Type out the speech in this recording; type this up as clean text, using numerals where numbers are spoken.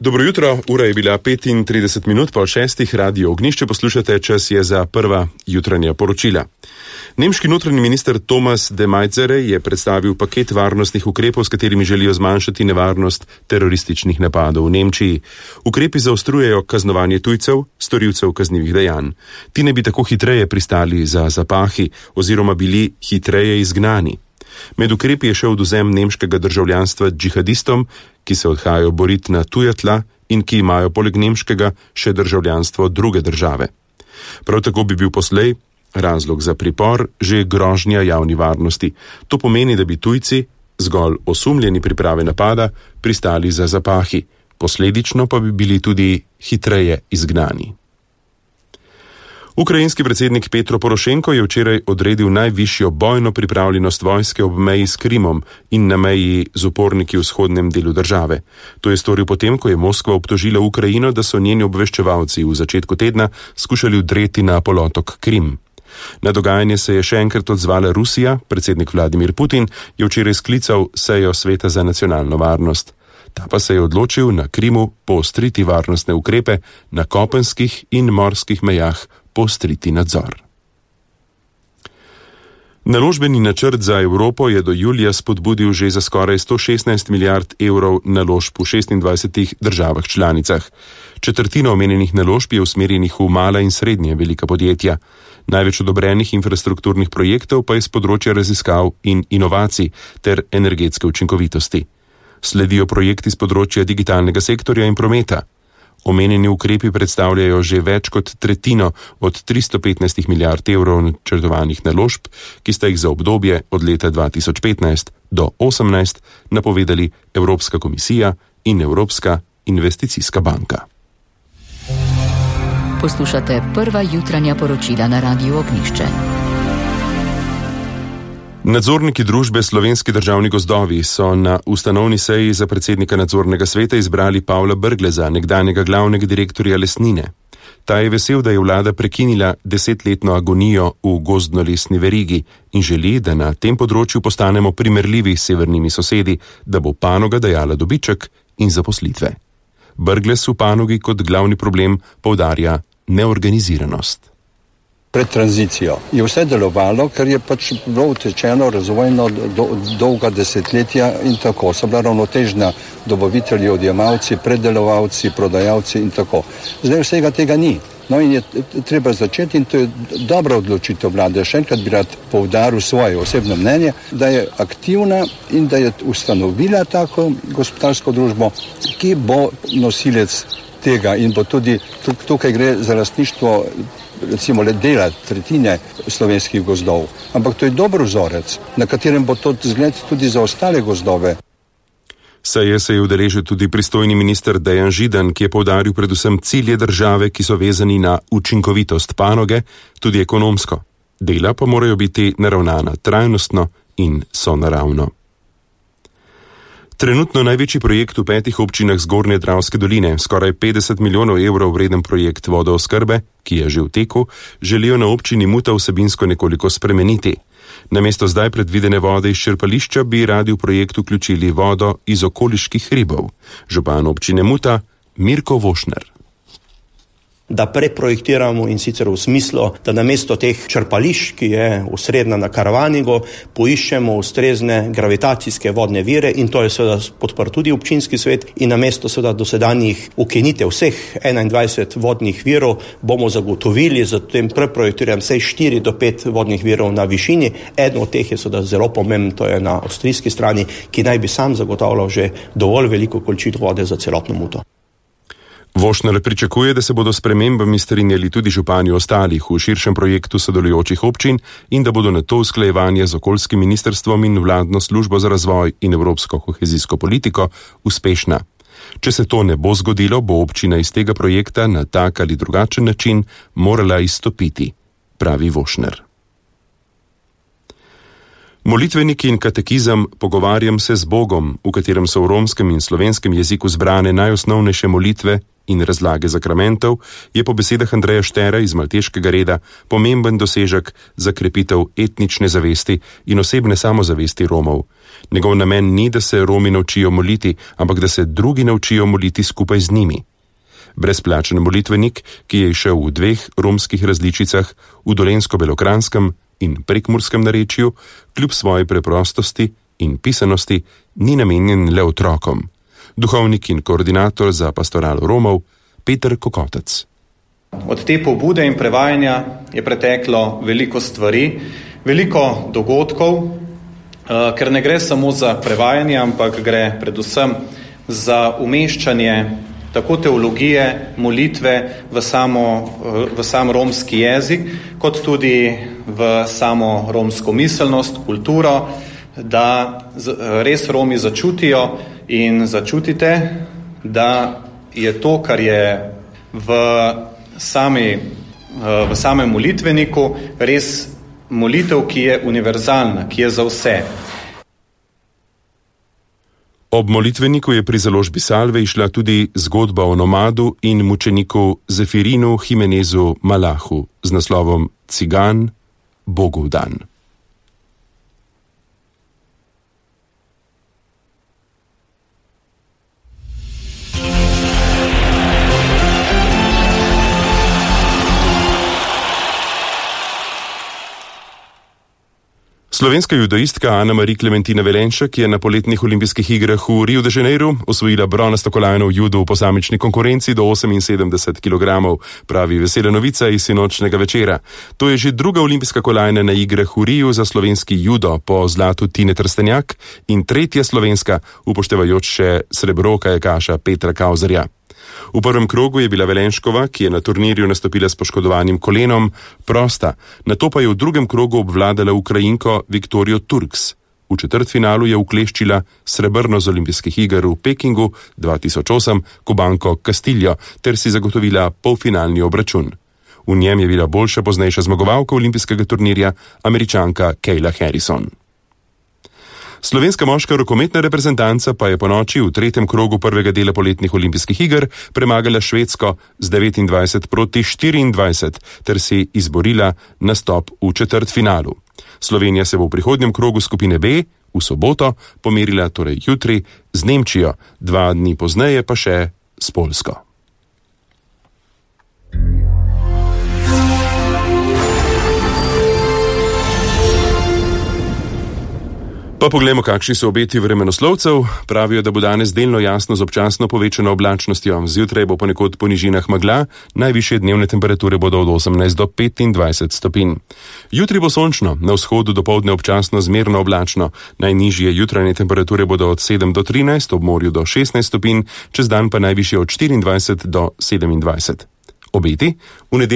Dobro jutro, ura je bila 35 minut po 6. Radio Ognjišče, poslušate, čas je za prva jutranja poročila. Nemški notranji minister Thomas de Maizière je predstavil paket varnostnih ukrepov, s katerimi želijo zmanjšati nevarnost terorističnih napadov v Nemčiji. Ukrepi zaostrujejo kaznovanje tujcev, storilcev kaznivih dejanj. Ti ne bi tako hitreje pristali za zapahi oziroma bili hitreje izgnani. Med ukrepi je še odvzem nemškega državljanstva džihadistom, ki se odhajajo boriti na tuja tla in ki imajo poleg nemškega še državljanstvo druge države. Prav tako bi bil poslej razlog za pripor že grožnja javni varnosti. To pomeni, da bi tujci, zgolj osumljeni priprave napada, pristali za zapahi, posledično pa bi bili tudi hitreje izgnani. Ukrajinski predsednik Petro Porošenko je včeraj odredil najvišjo bojno pripravljenost vojske ob meji s Krimom in na meji z uporniki v vzhodnem delu države. To je storil potem, ko je Moskva obtožila Ukrajino, da so njeni obveščevalci v začetku tedna skušali vdreti na polotok Krim. Na dogajanje se je še enkrat odzvala Rusija, predsednik Vladimir Putin je včeraj sklical sejo Sveta za nacionalno varnost. Ta pa se je odločil na Krimu poostriti varnostne ukrepe, na kopenskih in morskih mejah poostriti nadzor. Naložbeni načrt za Evropo je do julija spodbudil že za skoraj 116 milijard evrov naložb v 26 državah članicah. Četrtina omenjenih naložb je usmerjenih v mala in srednje velika podjetja. Največ odobrenih infrastrukturnih projektov pa je z področja raziskav in inovacij ter energetske učinkovitosti. Sledijo projekti z področja digitalnega sektorja in prometa. Omenjeni ukrepi predstavljajo že več kot tretjino od 315 milijard evrov načrtovanih naložb, ki sta jih za obdobje od leta 2015 do 2018 napovedali Evropska komisija in Evropska investicijska banka. Poslušate prva jutranja poročila na Radiu Ognjišče. Nadzorniki družbe Slovenski državni gozdovi so na ustanovni seji za predsednika nadzornega sveta izbrali Pavla Brgleza, nekdanjega glavnega direktorja Lesnine. Ta je vesel, da je vlada prekinila 10-letno agonijo v gozdno-lesni verigi in želi, da na tem področju postanemo primerljivi s severnimi sosedi, da bo panoga dajala dobiček in zaposlitve. Brglez v panogi kot glavni problem poudarja neorganiziranost. Pred tranzicijo je vse delovalo, ker je pač bilo utečeno razvojno dolga desetletja in tako. So bila ravnotežna dobavitelji, odjemalci, predelovalci, prodajalci in tako. Zdaj vsega tega ni. No in je treba začeti in to je dobra odločitev vlade. Še enkrat bi rad poudaril svoje osebno mnenje, da je aktivna in da je ustanovila tako gospodarsko družbo, ki bo nosilec tega in bo tudi tukaj gre za lastništvo recimo le dela tretjine slovenskih gozdov. Ampak to je dober vzorec, na katerem bo to zgled tudi za ostale gozdove. Seje se je udeležil tudi pristojni minister Dejan Židan, ki je poudaril predvsem cilje države, ki so vezani na učinkovitost panoge, tudi ekonomsko. Dela pa morajo biti naravnana trajnostno in sonaravno. Trenutno največji projekt v 5 občinah Zgornje Dravske doline, skoraj 50 milijonov evrov vreden projekt vodooskrbe, ki je že v teku, želijo na občini Muta vsebinsko nekoliko spremeniti. Namesto zdaj predvidene vode iz črpališča bi radi v projekt vključili vodo iz okoliških hribov. Župan občine Muta Mirko Vošner. Da preprojektiramo in sicer v smislu, da namesto teh črpališč, ki je osrednja na Karavanigu, poiščemo ustrezne gravitacijske vodne vire in to je seveda podprl tudi občinski svet in namesto seveda dosedanjih ukinitev vseh 21 vodnih virov bomo zagotovili za tem preprojektiranjem vsaj 4 do 5 vodnih virov na višini. Eden od teh je seveda zelo pomemben, to je na avstrijski strani, ki naj bi sam zagotavljal že dovolj veliko količino vode za celotno Muto. Vošner pričakuje, da se bodo spremembami strinjali tudi župani ostalih v širšem projektu sodelujočih občin in da bodo na to usklajevanje z okoljskim ministrstvom in vladno službo za razvoj in evropsko kohezijsko politiko uspešna. Če se to ne bo zgodilo, bo občina iz tega projekta na tak ali drugačen način morala izstopiti, pravi Vošner. Molitveniki in katekizem Pogovarjam se z Bogom, v katerem so v romskem in slovenskem jeziku zbrane najosnovnejše molitve in razlage zakramentov je po besedah Andreja Štera iz Malteškega reda pomemben dosežek za krepitev etnične zavesti in osebne samozavesti Romov. Njegov namen ni, da se Romi naučijo moliti, ampak da se drugi naučijo moliti skupaj z njimi. Brezplačen molitvenik, ki je išel v 2 romskih različicah, v dolensko-belokranskem in prekmurskem narečju, kljub svoji preprostosti in pisanosti, ni namenjen le otrokom. Duhovnik in koordinator za pastoralo Romov, Peter Kokotec. Od te pobude in prevajanja je preteklo veliko stvari, veliko dogodkov, ker ne gre samo za prevajanje, ampak gre predvsem za umeščanje tako teologije, molitve v sam romski jezik, kot tudi v samo romsko miselnost, kulturo, da res Romi začutijo in začutite, da je to, kar je v samem molitveniku, res molitev, ki je univerzalna, ki je za vse. Ob molitveniku je pri založbi Salve išla tudi zgodba o nomadu in mučeniku Zefirinu Jimenezu Malahu z naslovom Cigan, Bogu dan. Slovenska judoistka Ana-Marie Klementina Velenšek je na poletnih olimpijskih igrah v Rio de Janeiro osvojila bronasto kolajno v judu v posamični konkurenci do 78 kg, pravi vesela novica iz sinočnjega večera. To je že druga olimpijska kolajna na igrah v Riu za slovenski judo po zlatu Tine Trstenjak in tretja slovenska, upoštevajoč še srebro kajakaša Petra Kauzerja. V prvem krogu je bila Velenškova, ki je na turnirju nastopila s poškodovanim kolenom, prosta, nato pa je v drugem krogu obvladala Ukrajinko Viktorijo Turks. V četrtfinalu je ukleščila srebrno z olimpijskih iger v Pekingu 2008 Kubanko Castillo ter si zagotovila polfinalni obračun. V njem je bila boljša poznejša zmagovalka olimpijskega turnirja, Američanka Kayla Harrison. Slovenska moška rokometna reprezentanca pa je po noči v tretjem krogu prvega dela poletnih olimpijskih iger premagala Švedsko z 29-24 ter si izborila nastop v četrtfinalu. Slovenija se bo v prihodnjem krogu skupine B v soboto pomerila torej jutri z Nemčijo, 2 dni pozneje pa še s Poljsko. Pa poglejmo, kakšni so obeti vremenoslovcev. Pravijo, da bo danes delno jasno z občasno povečano oblačnostjo. Zjutraj bo ponekod po nižinah megla, najvišje dnevne temperature bodo od 18 do 25 stopinj. Jutri bo sončno, na vzhodu dopoldne občasno zmerno oblačno. Najnižje jutranje temperature bodo od 7 do 13, ob morju do 16 stopinj, čez dan pa najvišje od 24 do 27. Obeti v nedeljo